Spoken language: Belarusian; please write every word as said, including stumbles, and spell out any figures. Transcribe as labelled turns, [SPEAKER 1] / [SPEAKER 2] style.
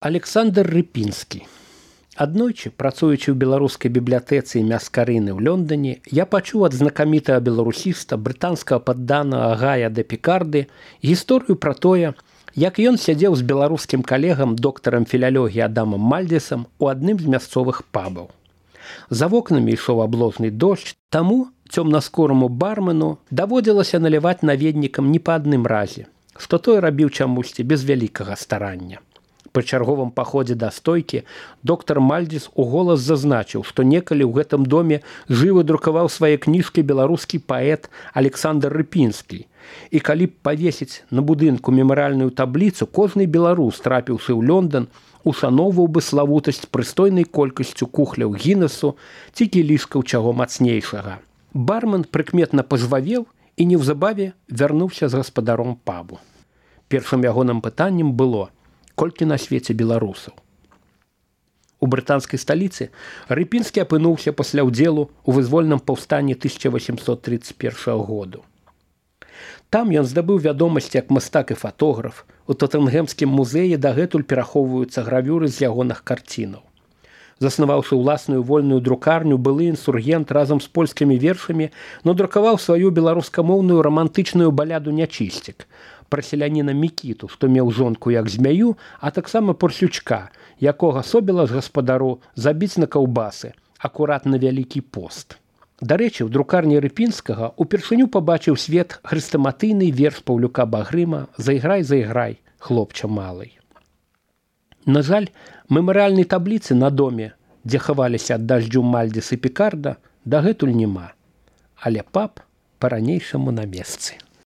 [SPEAKER 1] Александр Рыпінскі. Аднойчы, працуючы ў беларускай бібліятэцы імя Скарыны ў Лондоне, я пачуў ад знакамітага беларусіста, брытанскага падданага Гая де Пікарды гісторыю пра тое, як ён сядзеў з беларускім калегам доктарам філялогіі Адамам Мальдзесам у адным з мясцовых пабаў. За вокнамі ішоў аблозны дождж, таму цёмнаскораму бармену даводзілася наліваць наведнікам не па адным разе, што той рабіў чамусьці без вялікага старання. Пры чарговым паходзе да стойкі доктар Мальдзес уголас зазначыў, што некалі ў гэтым доме жывы друкаваў свае кніжкі беларускі паэт Александр Рыпінскі. І калі б павесіць на будынку мемарыяльную табліцу, кожны беларус, трапіўшы ў Лондон, ушаноўваў бы славутасць прыстойнай колькасцю кухляў Гіннесу ці кілішкаў чаго мацнейшага. Бармен прыкметна пажвавеў і неўзабаве вярнуўся з гаспадаром пабу. Першым ягоным пытаннем было: колькі на свеце беларусаў? У брытанскай сталіцы Рыпінскі апынуўся пасля ўдзелу ў вызвольным паўстанні тысяча васемсот тридцать першага году. Там ён здабыў вядомасць як мастак і фатограф. У Тотэнгемскім музеі дагэтуль перахоўваюцца гравюры з ягоных карцінаў. Заснаваўшы ўласную вольную друкарню, былы інсургент разам з польскімі вершамі надрукаваў сваю беларускамоўную рамантычную баляду «Нячысцік» пра селяніна Мікіту, што меў жонку як змяю, а таксама парсючка, якога собіла з гаспадару забіць на каўбасы, акурат на Вялікі пост. Дарэчы, у друкарні Рыпінскага упершыню пабачыў свет хрыстаматыйны верш Паўлюка Багрыма «Зайграй, зайграй, хлопча малый». На жаль, мемарыяльнай табліцы на доме, дзе хаваліся ад дажджу Мальдзес і Пікарда, дагэтуль няма. Але паб па-ранейшаму на месцы.